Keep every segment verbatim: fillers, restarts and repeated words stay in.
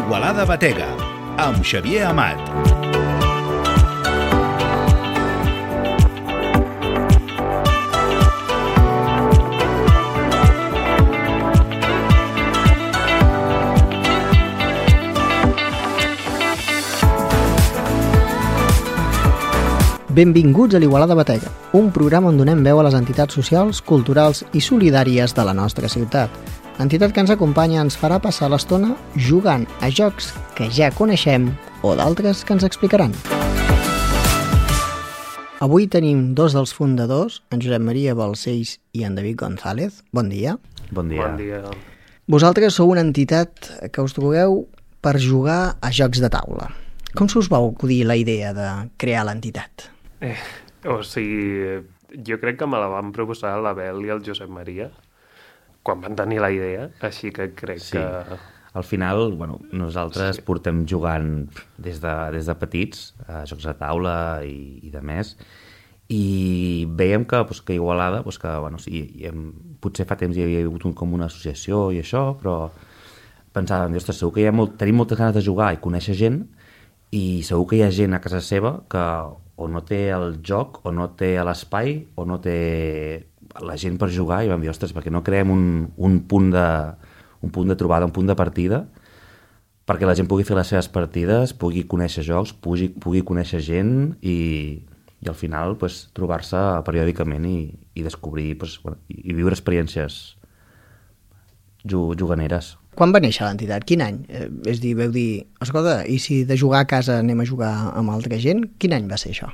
Igualada Batega, amb Xavier Amat. Benvinguts a l'Igualada Batega, un programa on donem veu a les entitats socials, culturals i solidàries de la nostra ciutat. L'entitat que ens acompanya ens farà passar l'estona jugant a jocs que ja coneixem o d'altres que ens explicaran. Avui tenim dos dels fundadors, en Josep Maria Balcells i en David González. Bon dia. Bon dia. Bon dia. Vosaltres sou una entitat que us trobeu per jugar a jocs de taula. Com se us va acudir la idea de crear l'entitat? Eh, o sigui, jo crec que me la van proposar l'Abel i el Josep Maria quan van tenir la idea, així que crec sí. que... Al final, bueno, nosaltres sí. portem jugant des de, des de petits a jocs de taula i, i de més, i veiem que, pues, que Igualada, pues, que, bueno, sí, hem, potser fa temps hi havia hagut un, com una associació i això, però pensàvem, ostres, segur que hi ha molt, tenim moltes ganes de jugar i conèixer gent, i segur que hi ha gent a casa seva que o no té el joc, o no té l'espai, o no té la gent per jugar, i vam dir, ostres, perquè no creem un, un, punt de, un punt de trobada, un punt de partida, perquè la gent pugui fer les seves partides, pugui conèixer jocs, pugui, pugui conèixer gent, i, i al final pues, trobar-se periòdicament i, i descobrir, pues, bueno, i viure experiències juganeres. Quan va néixer l'entitat? Quin any? Eh, és dir, veu dir, escolta, i si de jugar a casa anem a jugar amb altra gent? Quin any va ser això?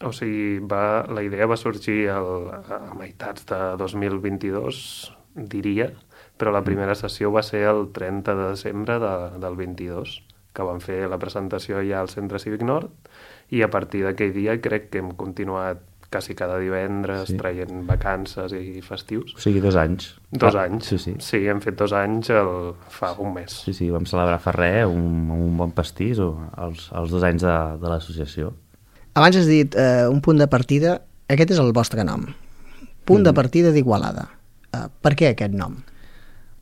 O sigui, va, la idea va sorgir el, a meitats de dos mil vint-i-dos, diria, però la primera sessió va ser el trenta de desembre de, del vint-i-dos, que vam fer la presentació ja al Centre Cívic Nord, i a partir d'aquell dia crec que hem continuat quasi cada divendres, sí. traient vacances i festius. O sigui, dos anys. Dos ah, anys. Sí, sí. Sí, hem fet dos anys el, fa un mes. Sí, sí, vam celebrar fa res, un, un bon pastís, o els, els dos anys de, de l'associació. Abans has dit eh, un punt de partida, aquest és el vostre nom. Punt mm. de partida d'Igualada. Eh, per què aquest nom?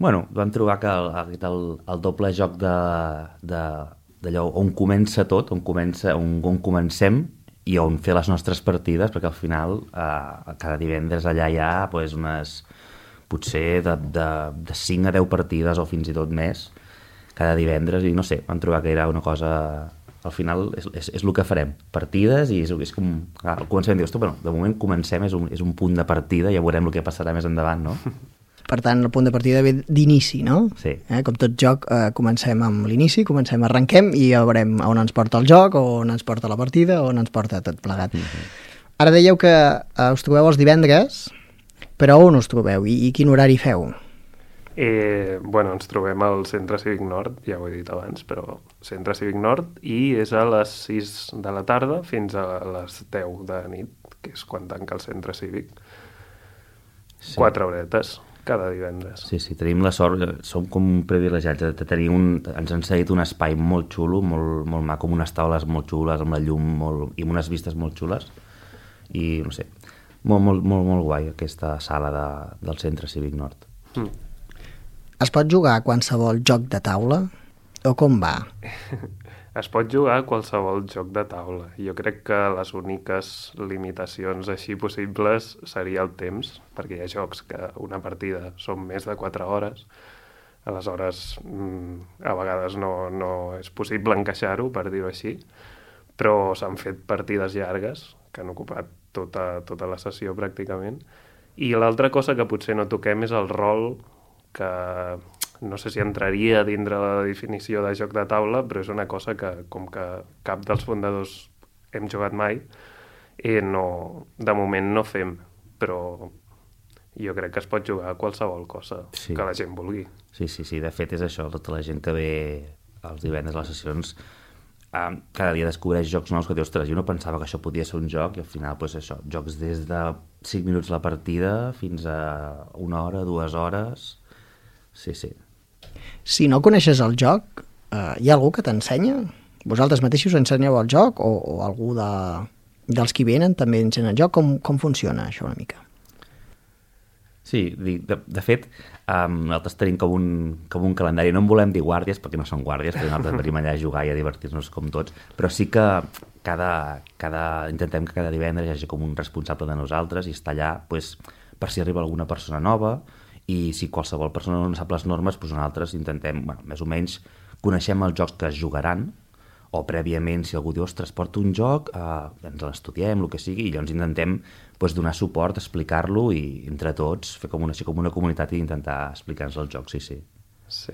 Bueno, vam trobar que el, el, el doble joc de, de, d'allò on comença tot, on, comença, on, on comencem, i on fer les nostres partides, perquè al final eh, cada divendres allà hi ha pues, unes, potser de, de, de cinc a deu partides o fins i tot més cada divendres, i no sé, vam trobar que era una cosa, al final és, és, és el que farem, partides, i és, és com al començament dius, bueno, de moment comencem, és un, és un punt de partida, ja veurem el que passarà més endavant, no? Per tant, el punt de partida ve d'inici, no? Sí. Eh, com tot joc, eh, comencem amb l'inici, comencem, arrenquem, i ja veurem on ens porta el joc, on ens porta la partida, on ens porta tot plegat. Mm-hmm. Ara dèieu que eh, us trobeu els divendres, però on us trobeu i, i quin horari feu? Eh, bueno, ens trobem al Centre Cívic Nord, ja ho he dit abans, però Centre Cívic Nord, i és a les sis de la tarda fins a les deu de nit, que és quan tanca el Centre Cívic. Sí. Quatre horetes cada divendres. Sí, sí, tenim la sort, som com privilegiats de tenir un, ens han cedit un espai molt xulo, molt, molt maco, amb unes taules molt xules, amb la llum molt, i amb unes vistes molt xules, i no sé, molt, molt, molt, molt guai aquesta sala de, del Centre Cívic Nord. Mm. Es pot jugar a qualsevol joc de taula? O com va? Es pot jugar a qualsevol joc de taula. Jo crec que les úniques limitacions així possibles seria el temps, perquè hi ha jocs que una partida són més de quatre hores, aleshores a vegades no, no és possible encaixar-ho, per dir-ho així, però s'han fet partides llargues, que han ocupat tota, tota la sessió pràcticament, i l'altra cosa que potser no toquem és el rol, que no sé si entraria dintre la definició de joc de taula, però és una cosa que, com que cap dels fundadors hem jugat mai, eh, no, de moment no fem, però jo crec que es pot jugar a qualsevol cosa sí. que la gent vulgui. Sí, sí, sí, de fet és això, tota la gent que ve els divendres a les sessions eh, cada dia descobreix jocs nous que dius, ostres, jo no pensava que això podia ser un joc, i al final, doncs això, jocs des de cinc minuts la partida fins a una hora, dues hores. Sí, sí. Si no coneixes el joc, eh, hi ha algú que t'ensenya? Vosaltres mateixos ensenyeu el joc o, o algú de, dels que venen també ensenya el joc? Com, com funciona això una mica? Sí, de, de fet, um, nosaltres tenim com un, com un calendari, no en volem dir guàrdies, perquè no són guàrdies, perquè nosaltres venim allà a jugar i a divertir-nos com tots, però sí que cada, cada, intentem que cada divendres hi hagi com un responsable de nosaltres i estar allà pues, per si arriba alguna persona nova, i si qualsevol persona no sap les normes, doncs nosaltres intentem, bueno, més o menys, coneixem els jocs que es jugaran, o prèviament, si algú diu, ostres, porto un joc, eh, ens l'estudiem, el que sigui, i llavors intentem pues, donar suport, explicar-lo i entre tots fer com una, com una comunitat i intentar explicar-nos el joc, sí, sí. Sí.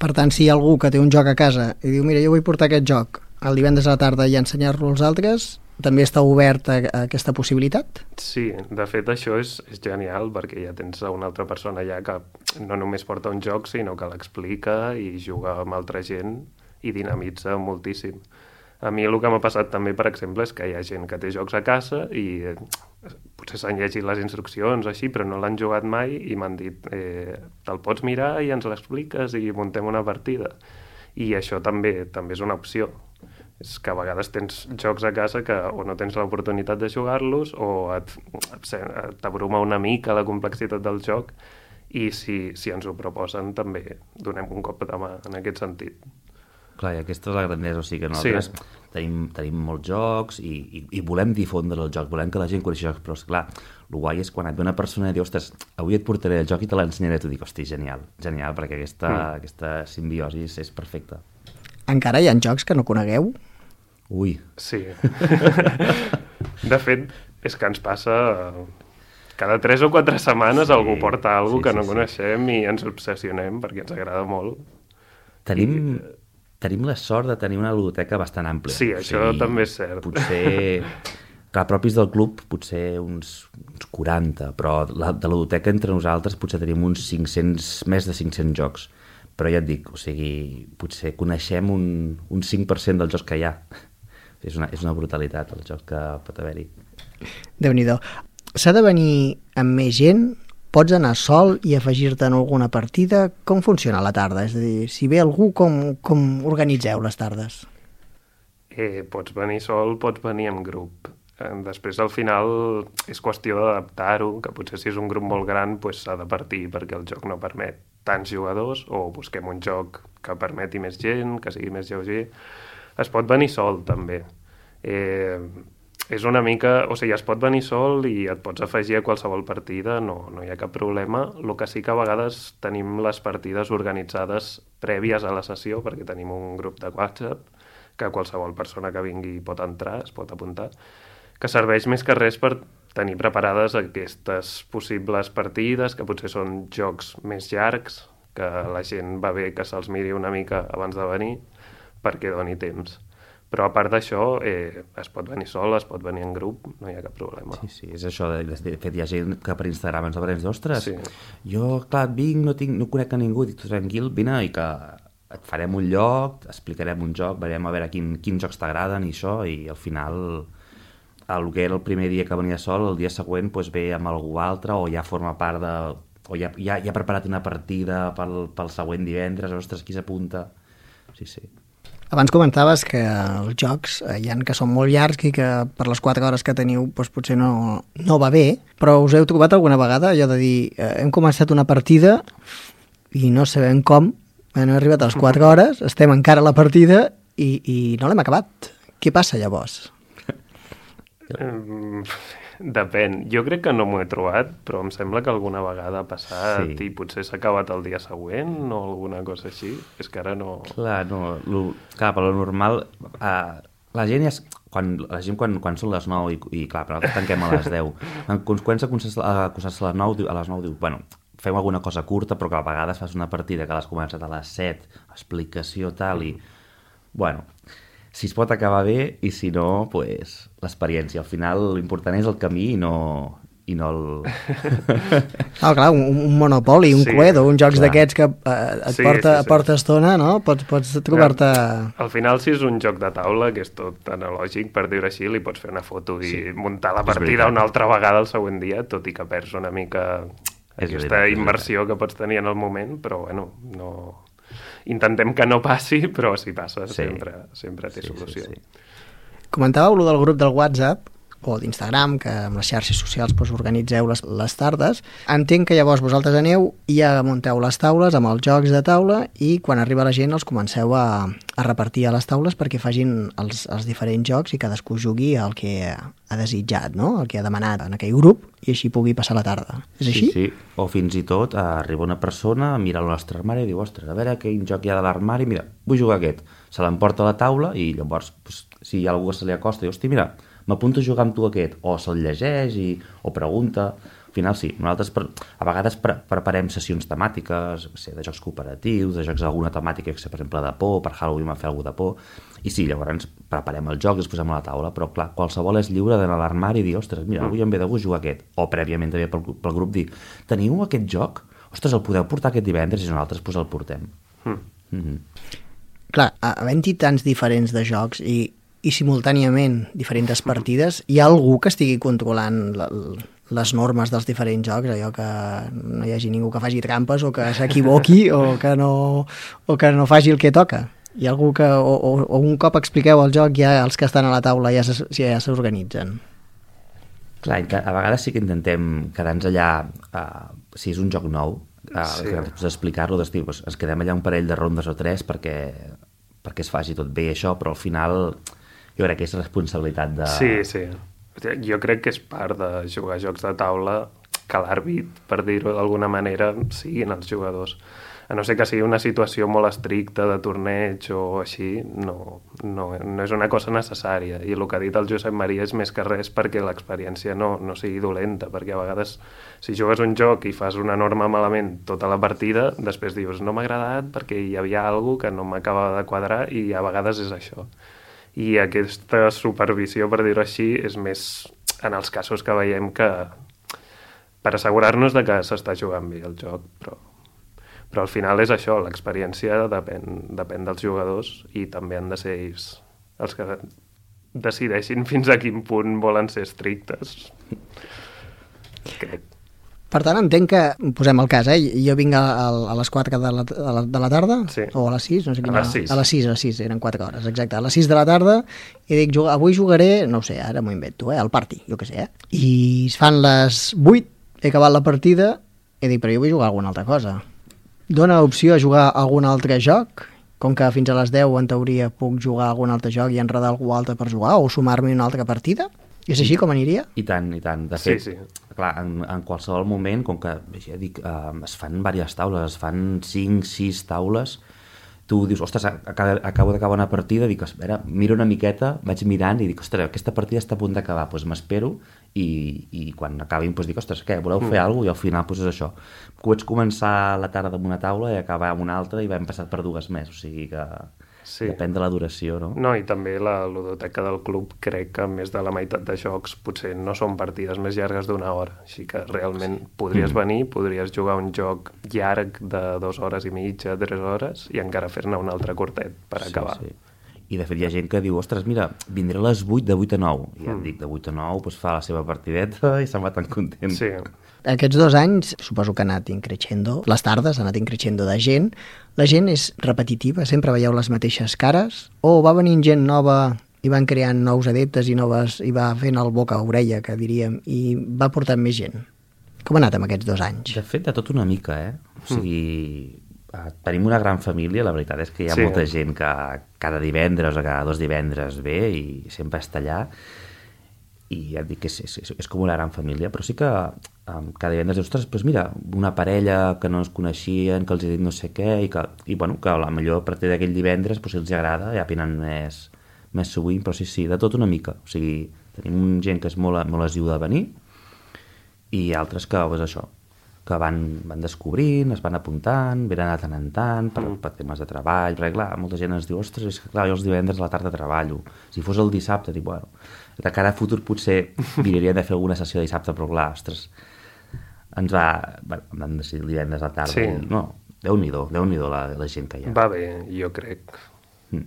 Per tant, si hi ha algú que té un joc a casa i diu, mira, jo vull portar aquest joc el divendres a la tarda i ensenyar-lo als altres, també està obert a, a aquesta possibilitat? Sí, de fet això és, és genial perquè ja tens una altra persona allà que no només porta un joc, sinó que l'explica i juga amb altra gent i dinamitza moltíssim. A mi el que m'ha passat també, per exemple, és que hi ha gent que té jocs a casa i eh, potser s'han llegit les instruccions així, però no l'han jugat mai i m'han dit eh, te'l pots mirar i ens l'expliques i muntem una partida. I això també també és una opció. És que a vegades tens jocs a casa que o no tens l'oportunitat de jugar-los o et, t'abruma una mica la complexitat del joc i si, si ens ho proposen també donem un cop de mà en aquest sentit. Clar, i aquesta és la grandesa, o sigui que nosaltres sí. tenim, tenim molts jocs i, i, i volem difondre els jocs, volem que la gent coneixi jocs, però esclar, el guai és quan et ve una persona i diu, ostres, avui et portaré el joc i te l'ensenyaré, tu dic, hosti, genial, genial, perquè aquesta, mm. aquesta simbiosi és perfecta. Encara hi ha jocs que no conegueu? Ui. Sí. De fet, és que ens passa... Cada tres o quatre setmanes sí, algú porta alguna cosa sí, sí, que no sí. coneixem i ens obsessionem perquè ens agrada molt. Tenim... I... Tenim la sort de tenir una ludoteca bastant àmplia. Sí, això o sigui, també és cert. Potser, clar, propis del club, potser uns, uns quaranta, però la, de la ludoteca entre nosaltres potser tenim uns cinc-cents, més de cinc-cents jocs. Però ja et dic, o sigui, potser coneixem un, un cinc per cent dels jocs que hi ha. És una, és una brutalitat el joc que pot haver-hi. Déu-n'hi-do. S'ha de venir amb més gent? Pots anar sol i afegir-te en alguna partida? Com funciona la tarda? És a dir, si ve algú, com, com organitzeu les tardes? Eh, pots venir sol, pots venir en grup. Eh, després, al final, és qüestió d'adaptar-ho, que potser si és un grup molt gran pues, s'ha de partir perquè el joc no permet tants jugadors, o busquem un joc que permeti més gent, que sigui més lleuger. Es pot venir sol, també. Eh... És una mica... O sigui, es pot venir sol i et pots afegir a qualsevol partida, no, no hi ha cap problema. El que sí que a vegades tenim les partides organitzades prèvies a la sessió, perquè tenim un grup de WhatsApp que qualsevol persona que vingui pot entrar, es pot apuntar, que serveix més que res per tenir preparades aquestes possibles partides, que potser són jocs més llargs, que la gent va bé que se'ls miri una mica abans de venir, perquè doni temps. Però a part d'això, eh, es pot venir sol, es pot venir en grup, no hi ha cap problema. Sí, sí, és això. De, de fet, hi ha gent que per Instagram ens obre i ens diu, ostres, sí. jo, clar, et vinc, no, tinc, no conec a ningú, dic, tranquil, vine i que et farem un lloc, explicarem un joc, veurem a veure quin, quins jocs t'agraden i això, i al final, el que era el primer dia que venia sol, el dia següent pues, ve amb algú altre o ja forma part de... o ja, ja, ja ha preparat una partida pel, pel següent divendres, ostres, qui s'apunta? Sí, sí. Abans comentaves que els jocs hi ha que són molt llargs i que per les quatre hores que teniu doncs potser no, no va bé, però us heu trobat alguna vegada allò de dir eh, hem començat una partida i no sabem com, hem arribat a les quatre hores, estem encara a la partida i, i no l'hem acabat. Què passa llavors? Um, depèn. Jo crec que no m'ho he trobat, però em sembla que alguna vegada ha passat sí. I potser s'ha acabat el dia següent o alguna cosa així. És que ara no... Clar, no, lo, clar per lo normal... Uh, la gent és... Quan, la gent quan, quan són les nou i, i clar, però nosaltres tanquem a les deu. Quan comença a acostar-se a les nou, a les nou diu, bueno, fem alguna cosa curta, però que a vegades fas una partida que l'has començat a les set, explicació tal i... Bueno... Si es pot acabar bé i si no, pues, l'experiència. Al final l'important és el camí i no, i no el... Ah, clar, un, un Monopoli, un sí, Cluedo, uns jocs d'aquests que eh, et sí, porta, sí, sí. porta estona, no? Pots, pots trobar-te... Al final, si és un joc de taula, que és tot analògic, per dir-ho així, li pots fer una foto i sí. muntar la partida una altra vegada el següent dia, tot i que perds una mica és aquesta veritat, immersió que pots tenir en el moment, però bueno, no... Intentem que no passi, però si passa sí. sempre, sempre té sí, solució. Sí, sí. Comentàveu allò del grup del WhatsApp. o d'Instagram, que amb les xarxes socials doncs, organitzeu les, les tardes. Entenc que llavors vosaltres aneu i ja munteu les taules amb els jocs de taula i quan arriba la gent els comenceu a, a repartir a les taules perquè facin els, els diferents jocs i cadascú jugui el que ha desitjat, no? El que ha demanat en aquell grup i així pugui passar la tarda. És així? Sí, sí. O fins i tot eh, arriba una persona, mira el nostre armari i diu, ostres, a veure quin joc hi ha de l'armari, mira, vull jugar aquest. Se l'emporta a la taula i llavors, pues, si hi ha algú que se li acosta, diu, hosti, mira, m'apunto a jugar amb tu aquest, o se'l llegeix i, o pregunta. Al final sí, nosaltres per, a vegades pre preparem sessions temàtiques, sé, de jocs cooperatius, de jocs d'alguna temàtica, que sé, per exemple, de por, per Halloween vam fer alguna de por, i sí, llavors preparem el joc i els posem a la taula, però clar, qualsevol és lliure d'anar a l'armari i dir, ostres, mira, avui em ve de gust jugar aquest, o prèviament també pel, pel grup dir, teniu aquest joc? Ostres, el podeu portar aquest divendres i nosaltres pues, el portem. Mm. Mm-hmm. Clar, havent-hi tants diferents de jocs i i simultàniament diferents partides, hi ha algú que estigui controlant la, les normes dels diferents jocs, allò que no hi hagi ningú que faci trampes o que s'equivoqui o, que no, o que no faci el que toca. Hi ha algú que, o, o, o un cop expliqueu el joc, ja els que estan a la taula ja s'organitzen. Clar, a vegades sí que intentem quedar-nos allà, uh, si és un joc nou, uh, sí. explicar-lo, doncs, doncs, ens quedem allà un parell de rondes o tres perquè, perquè es faci tot bé això, però al final jo crec que és responsabilitat de... Sí, sí. Jo crec que és part de jugar a jocs de taula que l'àrbit, per dir-ho d'alguna manera, siguin els jugadors. A no ser que sigui una situació molt estricta de torneig o així, no, no, no és una cosa necessària. I el que ha dit el Josep Maria és més que res perquè l'experiència no, no sigui dolenta, perquè a vegades si jugues un joc i fas una norma malament tota la partida, després dius no m'ha agradat perquè hi havia alguna cosa que no m'acabava de quadrar i a vegades és això. I aquesta supervisió, per dir-ho així, és més en els casos que veiem que per assegurar-nos de que s'està jugant bé el joc, però, però al final és això, l'experiència depèn, depèn dels jugadors i també han de ser ells els que decideixin fins a quin punt volen ser estrictes. Crec. Per tant, entenc que, posem el cas, eh? Jo vinc a, a les quatre de la, de la, de la tarda, sí. O a les sis, no sé quina... A les sis. A les sis, a les sis, eren quatre hores, exacte. A les sis de la tarda, i dic, avui jugaré, no ho sé, ara m'ho invento, eh? Al party, jo què sé, eh? I es fan les vuit, he acabat la partida, i dic, però jo vull jugar alguna altra cosa. Dóna opció a jugar algun altre joc? Com que fins a les deu, en teoria, puc jugar algun altre joc i enredar algú altre per jugar, o sumar-me una altra partida? És així com aniria? I tant, i tant. De fet, sí, sí. Clar, en, en qualsevol moment, com que ja dic, eh, es fan diverses taules, es fan cinc, sis taules, tu dius, ostres, acabo, acabo d'acabar una partida, dic, espera, miro una miqueta, vaig mirant i dic, ostres, aquesta partida està a punt d'acabar, doncs m'espero i, i quan acabin doncs dic, ostres, què, voleu fer mm. alguna cosa? I al final doncs és això. Pots començar la tarda amb una taula i acabar amb una altra i vam passat per dues més, o sigui que... Sí. Depèn de la duració, no? No, i també la ludoteca del club crec que més de la meitat de jocs potser no són partides més llargues d'una hora, així que realment podries mm. venir, podries jugar un joc llarg de dues hores i mitja, tres hores, i encara fer-ne un altre curtet per sí, acabar. Sí. I de fet hi ha gent que diu, ostres, mira, vindré a les vuit, de vuit a nou. I ja mm. et dic, de vuit a nou, doncs fa la seva partideta i se'n va tan content. Sí. Aquests dos anys, suposo que ha anat increixendo, les tardes han anat increixendo de gent. La gent és repetitiva, sempre veieu les mateixes cares, o va venint gent nova i van creant nous adeptes i noves, i va fent el boca a orella, que diríem, i va portant més gent. Com ha anat amb aquests dos anys? De fet, de tot una mica, eh? O sigui... Mm. Tenim una gran família, la veritat és que hi ha sí. molta gent que cada divendres o cada dos divendres ve i sempre està allà i ja et dic que és, és, és com una gran família, però sí que um, cada divendres dius, ostres, doncs mira, una parella que no es coneixien, que els he dit no sé què i, que, i bueno, que a la millor a partir d'aquell divendres doncs, si els agrada ja venen més, més sovint, però sí, sí, de tot una mica, o sigui, tenim gent que és molt, molt assidu de venir i altres que, doncs això, que van, van descobrint, es van apuntant, venen de tant en tant, per, per temes de treball, perquè clar, molta gent ens diu, ostres, és que clar, jo els divendres a la tarda treballo, si fos el dissabte, dic, bueno, de cara a futur potser miraria de fer alguna sessió de dissabte, però clar, ostres, ens va, bueno, vam decidir el divendres a la tarda, sí. i, no, Déu-n'hi-do, Déu-n'hi-do la, la gent que hi ha. Va bé, jo crec. Mm.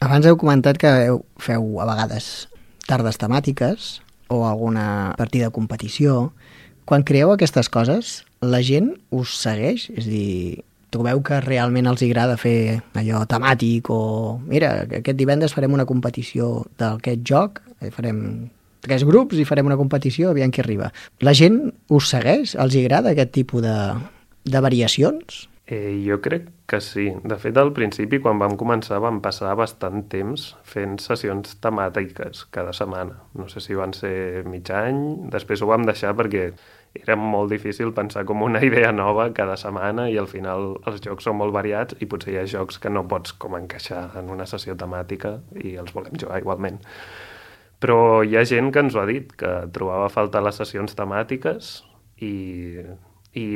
Abans heu comentat que heu, feu a vegades tardes temàtiques o alguna partida de competició. Quan creeu aquestes coses, la gent us segueix? És a dir, trobeu que realment els agrada fer allò temàtic o... Mira, aquest divendres farem una competició d'aquest joc, farem tres grups i farem una competició, aviam qui arriba. La gent us segueix? Els hi agrada aquest tipus de, de variacions? Eh, jo crec que sí. De fet, al principi, quan vam començar, vam passar bastant temps fent sessions temàtiques cada setmana. No sé si van ser mig any, després ho vam deixar perquè era molt difícil pensar com una idea nova cada setmana i al final els jocs són molt variats i potser hi ha jocs que no pots com encaixar en una sessió temàtica i els volem jugar igualment. Però hi ha gent que ens ho ha dit, que trobava a faltar les sessions temàtiques i... i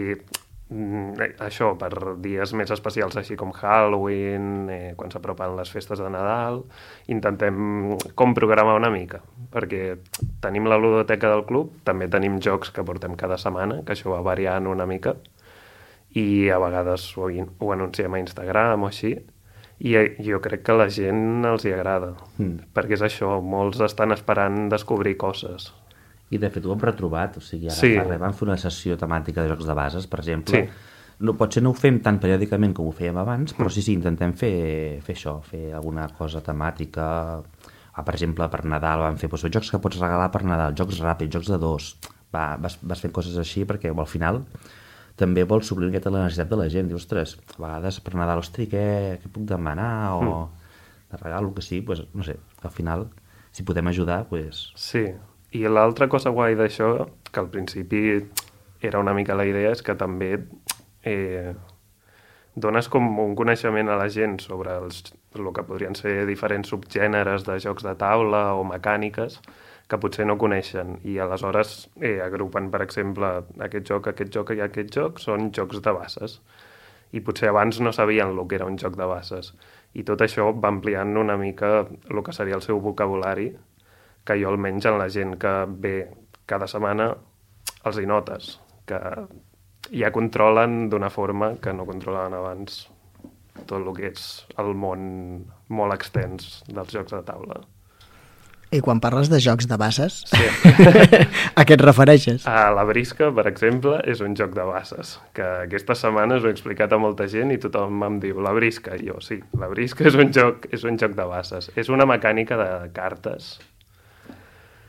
això, per dies més especials així com Halloween, eh, quan s'apropen les festes de Nadal, intentem com programar una mica, perquè tenim la ludoteca del club, també tenim jocs que portem cada setmana, que això va variant una mica, i a vegades ho, ho anunciem a Instagram o així, i jo crec que a la gent els hi agrada, mm. perquè és això, molts estan esperant descobrir coses. I de fet ho hem retrobat, o sigui, ara sí. fa res vam fer una sessió temàtica de jocs de bases, per exemple. Sí. No, potser no ho fem tan periòdicament com ho fèiem abans, però sí, sí, intentem fer, fer això, fer alguna cosa temàtica. Ah, per exemple, per Nadal vam fer doncs, jocs que pots regalar per Nadal, jocs ràpids, jocs de dos. Va, vas, vas fent coses així perquè al final també vols suplir una miqueta la necessitat de la gent. Dius, ostres, a vegades per Nadal, ostres, què, què puc demanar? O mm. de regal, el que sigui, doncs, no sé, al final, si podem ajudar, doncs... Sí. I l'altra cosa guai d'això, que al principi era una mica la idea, és que també eh, dones com un coneixement a la gent sobre els, el que podrien ser diferents subgèneres de jocs de taula o mecàniques que potser no coneixen. I aleshores eh, agrupen, per exemple, aquest joc, aquest joc i aquest joc són jocs de bases. I potser abans no sabien el que era un joc de bases. I tot això va ampliant una mica el que seria el seu vocabulari, que jo almenys en la gent que ve cada setmana els hi notes, que ja controlen d'una forma que no controlaven abans tot el que és el món molt extens dels jocs de taula. I quan parles de jocs de bases, sí. a què et refereixes? A la brisca, per exemple, és un joc de bases, que aquestes setmanes ho he explicat a molta gent i tothom em diu la brisca, i jo sí, la brisca és un joc, és un joc de bases, és una mecànica de cartes.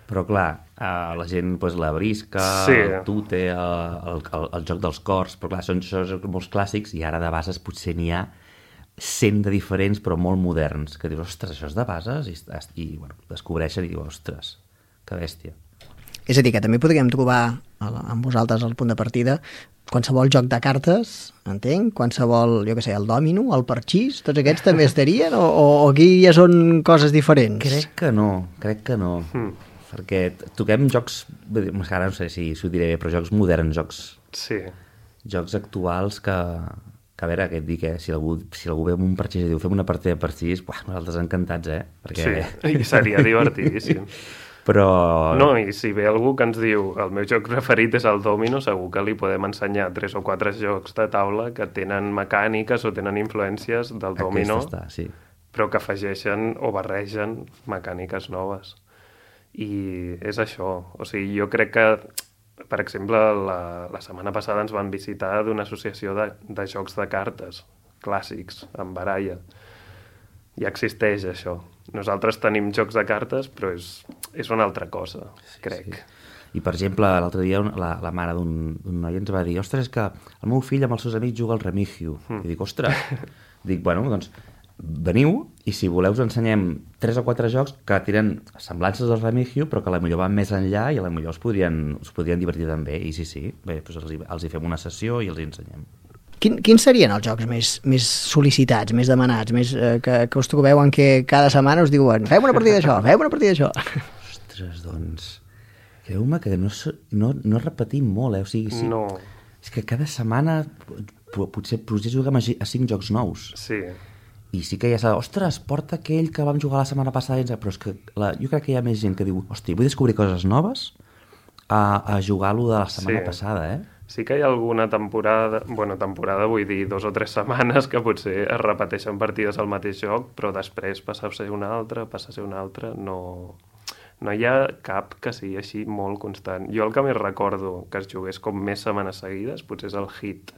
Però clar, uh, la gent, pues, la brisca, sí. el tute, el, el, el, el joc dels cors, però clar, són jocs molts clàssics i ara de bases potser n'hi ha cent de diferents però molt moderns, que dius, ostres, això és de bases? I, i bueno, descobreixen i dius, ostres, que bèstia. És a dir, que també podríem trobar amb vosaltres al punt de partida qualsevol joc de cartes, entenc, qualsevol, jo què sé, el dòmino, el parxís, tots aquests també estarien o, o aquí ja són coses diferents? Crec que no, crec que no. Mm. Perquè toquem jocs, ara no sé si s'ho diré bé, però jocs moderns, jocs, sí. jocs actuals que, que a veure, què et dic, eh? si, algú, si algú ve amb un parxís i diu fem una partida de parxís, buah, nosaltres encantats, eh? Perquè... Sí, i seria divertidíssim. Però... No, i si ve algú que ens diu el meu joc preferit és el dòmino, segur que li podem ensenyar tres o quatre jocs de taula que tenen mecàniques o tenen influències del dòmino, està, sí. però que afegeixen o barregen mecàniques noves. I és això, o sigui, jo crec que, per exemple, la, la setmana passada ens van visitar d'una associació de, de jocs de cartes clàssics, amb baralla. Ja existeix això. Nosaltres tenim jocs de cartes, però és, és una altra cosa, sí, crec. Sí. I, per exemple, l'altre dia la, la mare d'un noi ens va dir, ostres, que el meu fill amb els seus amics juga al Remigio. Mm. I dic, ostres, dic, bueno, doncs veniu i si voleu us ensenyem tres o quatre jocs que tenen semblances del Remigio però que a la millor van més enllà i a la millor us podrien, us podrien divertir també i sí, sí, bé, doncs els, hi, els hi fem una sessió i els hi ensenyem. Quin, quins serien els jocs més, més sol·licitats, més demanats, més, eh, que, que us trobeu en què cada setmana us diuen fem una partida d'això, fem una partida d'això? Ostres, doncs creu-me que no, no, no repetim molt, eh? O sigui, sí, no. És que cada setmana potser, potser juguem a, a cinc jocs nous. Sí. I sí que ja s'ha de, ostres, porta aquell que vam jugar la setmana passada, però és que la, jo crec que hi ha més gent que diu, hosti, vull descobrir coses noves a, a jugar-lo de la setmana sí. passada, eh? Sí que hi ha alguna temporada, bueno, temporada vull dir dos o tres setmanes que potser es repeteixen partides al mateix joc, però després passa a ser una altra, passa a ser una altra, no, no hi ha cap que sigui així molt constant. Jo el que més recordo que es jugués com més setmanes seguides potser és el Hit,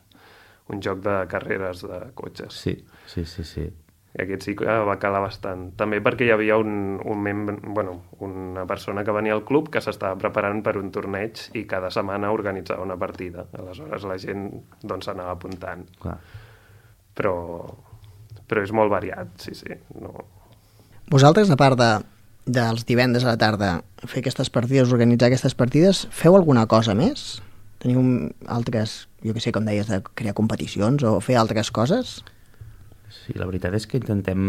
un joc de carreres de cotxes. Sí, sí, sí, sí. I aquest sí que va calar bastant. També perquè hi havia un, un membre, bueno, una persona que venia al club que s'estava preparant per un torneig i cada setmana organitzava una partida. Aleshores la gent doncs s'anava apuntant. Clar. Però, però és molt variat, sí, sí. No... Vosaltres, a part de, dels divendres a la tarda, fer aquestes partides, organitzar aquestes partides, feu alguna cosa més? Teniu altres, jo que sé, com deies, de crear competicions o fer altres coses? Sí, la veritat és que intentem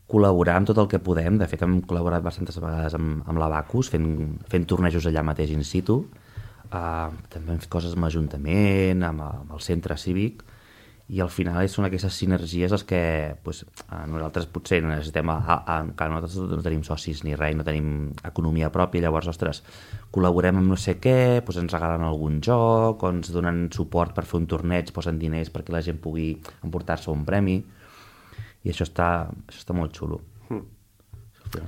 col·laborar amb tot el que podem. De fet, hem col·laborat bastantes vegades amb, amb l'Abacus, fent, fent tornejos allà mateix in situ. Uh, també hem fet coses amb l'Ajuntament, amb, amb el centre cívic, i al final són aquestes sinergies les que pues, uh, nosaltres potser necessitem, a, a, a, que nosaltres no tenim socis ni res, no tenim economia pròpia, llavors, ostres, col·laborem amb no sé què, pues ens regalen algun joc, o ens donen suport per fer un torneig, posen diners perquè la gent pugui emportar-se un premi, i això està, això està molt xulo. Mm.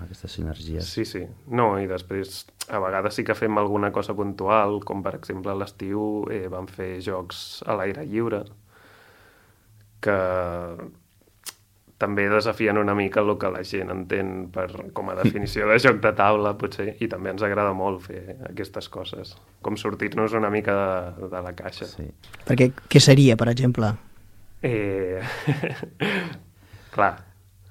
Aquestes sinergies. Sí, sí. No, i després a vegades sí que fem alguna cosa puntual, com per exemple a l'estiu eh, vam fer jocs a l'aire lliure, que també desafien una mica el que la gent entén per, com a definició de joc de taula, potser, i també ens agrada molt fer aquestes coses, com sortir-nos una mica de, de la caixa. Sí. Perquè què seria, per exemple? Eh... Clar.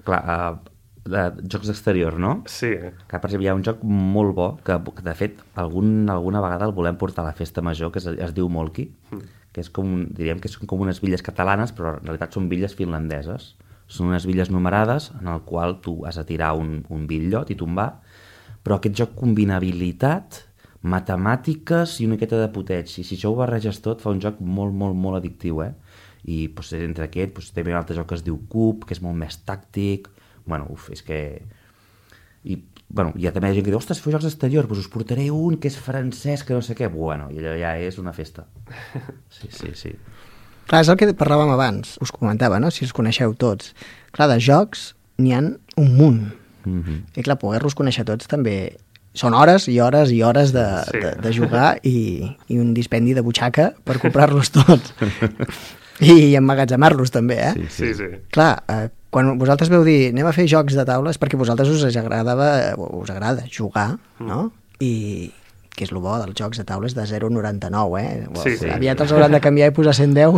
Clar, uh, de jocs d'exterior, no? Sí. Que, per exemple, hi ha un joc molt bo, que, que de fet, algun, alguna vegada el volem portar a la festa major, que es, es diu Molki, mm. que és com, diríem que són com unes villes catalanes, però en realitat són villes finlandeses. Són unes villes numerades en el qual tu has de tirar un, un bitllot i tombar, però aquest joc combina habilitat, matemàtiques i una miqueta de puteig. I si això ho barreges tot, fa un joc molt, molt, molt addictiu, eh? I doncs, entre aquest doncs, també hi ha un altre joc que es diu Cub, que és molt més tàctic. Bueno, uf, és que... I, bueno, hi ha també gent que diu, ostres, feu jocs d'exterior, doncs us portaré un que és francès, que no sé què. Bueno, i allò ja és una festa. Sí, sí, sí. Clar, és el que parlàvem abans, us comentava, no?, si us coneixeu tots. Clar, de jocs n'hi ha un munt. Mm-hmm. I clar, poder-los conèixer tots també... Són hores i hores i hores de, sí. de, de jugar i, i un dispendi de butxaca per comprar-los tots. I emmagatzemar-los també, eh? Sí, sí. sí. Clar, eh, quan vosaltres veu dir anem a fer jocs de taula és perquè a vosaltres us agradava, us agrada jugar, no? I que és el bo dels jocs de taula és de zero coma noranta-nou, eh? Sí, sí. Aviat els hauran de canviar i posar cent deu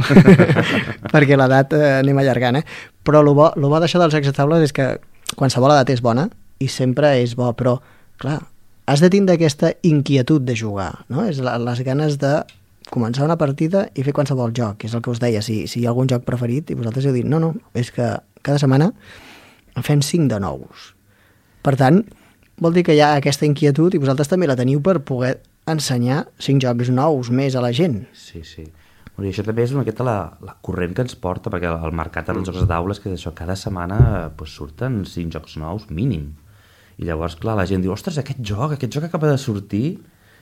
perquè l'edat eh, anem allargant, eh? Però el bo, lo bo d'això dels jocs de taula és que qualsevol edat és bona i sempre és bo, però, clar, has de tindre aquesta inquietud de jugar, no? És la, les ganes de començar una partida i fer qualsevol joc, que és el que us deia, si, si hi ha algun joc preferit i vosaltres heu dit, no, no, és que cada setmana en fem cinc de nous. Per tant, vol dir que hi ha aquesta inquietud i vosaltres també la teniu per poder ensenyar cinc jocs nous més a la gent. Sí, sí. I això també és una miqueta la, la corrent que ens porta, perquè el mercat dels jocs de taula és que això, cada setmana pues, surten cinc jocs nous mínim. I llavors, clar, la gent diu, ostres, aquest joc, aquest joc acaba de sortir.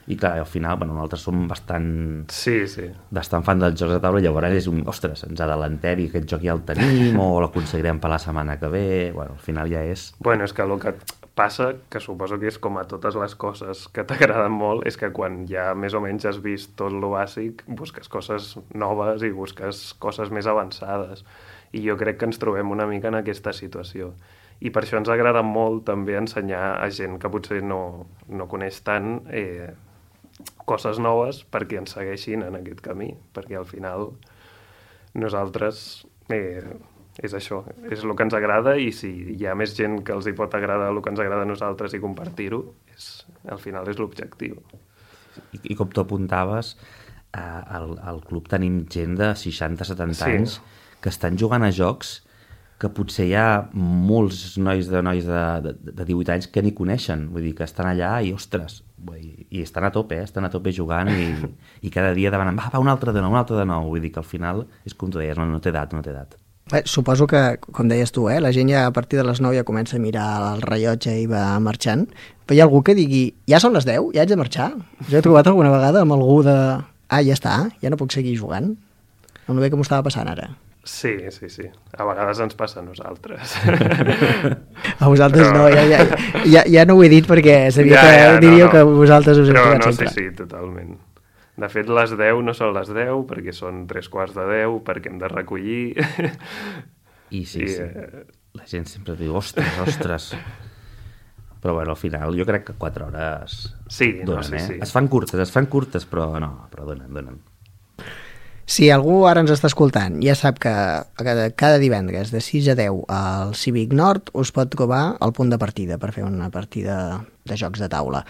I clar, al final, bueno, nosaltres som bastant... Sí, sí. Bastant fan dels jocs de taula, i llavors és un, ostres, ens adelantem i aquest joc ja el tenim, o l'aconseguirem per la setmana que ve... Bueno, al final ja és... Bueno, és que el que passa, que suposo que és com a totes les coses que t'agraden molt, és que quan ja més o menys has vist tot lo bàsic, busques coses noves i busques coses més avançades. I jo crec que ens trobem una mica en aquesta situació. I per això ens agrada molt també ensenyar a gent que potser no, no coneix tant eh, coses noves perquè ens segueixin en aquest camí, perquè al final nosaltres eh, és això, és el que ens agrada, i si hi ha més gent que els hi pot agradar el que ens agrada a nosaltres i compartir-ho, és, al final és l'objectiu. I, i com tu apuntaves, eh, al, al club tenim gent de seixanta a setanta sí. anys que estan jugant a jocs que potser hi ha molts nois de nois de, de, de divuit anys que ni coneixen, vull dir, que estan allà i, ostres, i, i estan a tope, eh? Estan a tope jugant i, i cada dia demanen, va, va, un altre de nou, un altre de nou, vull dir que al final és com tu deies, no, no té edat, no té edat. Bé, suposo que, com deies tu, eh, la gent ja a partir de les nou ja comença a mirar el rellotge i va marxant, però hi ha algú que digui, ja són les deu, ja haig de marxar? Jo he trobat alguna vegada amb algú de, ah, ja està, ja no puc seguir jugant? No bé que m'ho estava passant ara. Sí, sí, sí. A vegades ens passa a nosaltres. A vosaltres però... no, ja, ja, ja, ja no ho he dit perquè sabia ja, que ja, diríeu no, no. que vosaltres us heu però trobat no, sempre. Sí, sí, totalment. De fet, les deu no són les deu perquè són tres quarts de deu, perquè hem de recollir. I sí, I, sí. eh, La gent sempre diu, ostres, ostres. Però bueno, al final jo crec que quatre hores Sí, no, donen, sí, eh? sí. Es fan curtes, es fan curtes, però no, però donen, donen. Si algú ara ens està escoltant ja sap que cada, cada divendres de sis a deu al Cívic Nord us pot trobar al punt de partida per fer una partida de jocs de taula.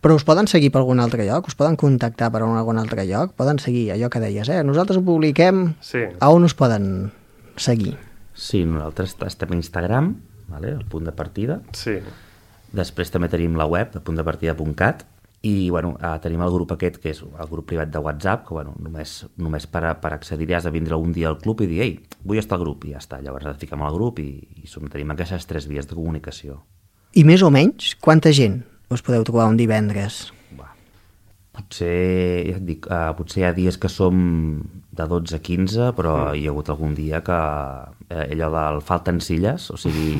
Però us poden seguir per algun altre lloc? Us poden contactar per algun altre lloc? Poden seguir allò que deies, eh? Nosaltres ho publiquem. Sí. A on us poden seguir? Sí, nosaltres estem a Instagram, vale? El punt de partida. Sí. Després també tenim la web de puntdepartida punt cat i bueno, eh, tenim el grup aquest, que és el grup privat de WhatsApp, que bueno, només, només per, a, per accedir has de vindre un dia al club i dir, ei, vull estar al grup, i ja està. Llavors et fiquem al grup i, i som, tenim aquestes tres vies de comunicació. I més o menys, quanta gent us podeu trobar un divendres? Va. Potser, ja et dic, uh, potser hi ha dies que som de dotze a quinze, però mm. hi ha hagut algun dia que eh, allò del falten silles, o sigui,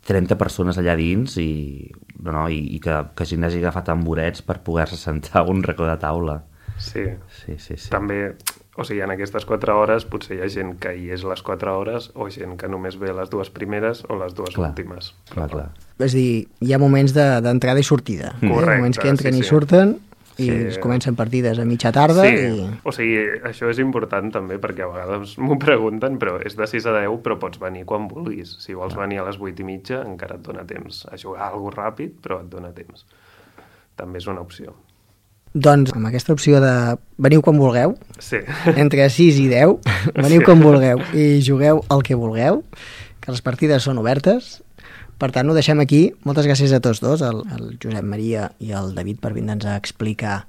trenta persones allà dins i, no, i, i que, que gent hagi agafat tamborets per poder-se sentar a un racó de taula. Sí. Sí, sí, sí. També, o sigui, en aquestes quatre hores potser hi ha gent que hi és les quatre hores o gent que només ve les dues primeres o les dues Clar, últimes. clar, clar. És dir, hi ha moments d'entrada de, i sortida. Correcte, eh? Moments que entren sí, i sí. surten i Sí. es comencen partides a mitja tarda. Sí, I... o sigui, això és important també perquè a vegades m'ho pregunten, però és de sis a deu, però pots venir quan vulguis. Si vols venir a les vuit i mitja encara et dona temps a jugar alguna cosa ràpid, però et dona temps. També és una opció. Doncs amb aquesta opció de veniu quan vulgueu, Sí. entre sis i deu, veniu Sí. quan vulgueu i jugueu el que vulgueu, que les partides són obertes. Per tant, ho deixem aquí. Moltes gràcies a tots dos, el, el Josep Maria i el David, per vindre'ns a explicar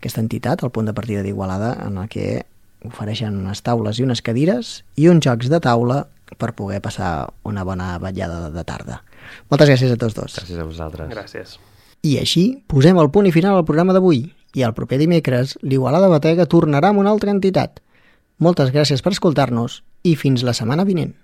aquesta entitat, el punt de partida d'Igualada, en el que ofereixen unes taules i unes cadires i uns jocs de taula per poder passar una bona vetllada de tarda. Moltes gràcies a tots dos. Gràcies a vosaltres. Gràcies. I així posem el punt i final al programa d'avui. I el proper dimecres, l'Igualada Batega tornarà amb una altra entitat. Moltes gràcies per escoltar-nos i fins la setmana vinent.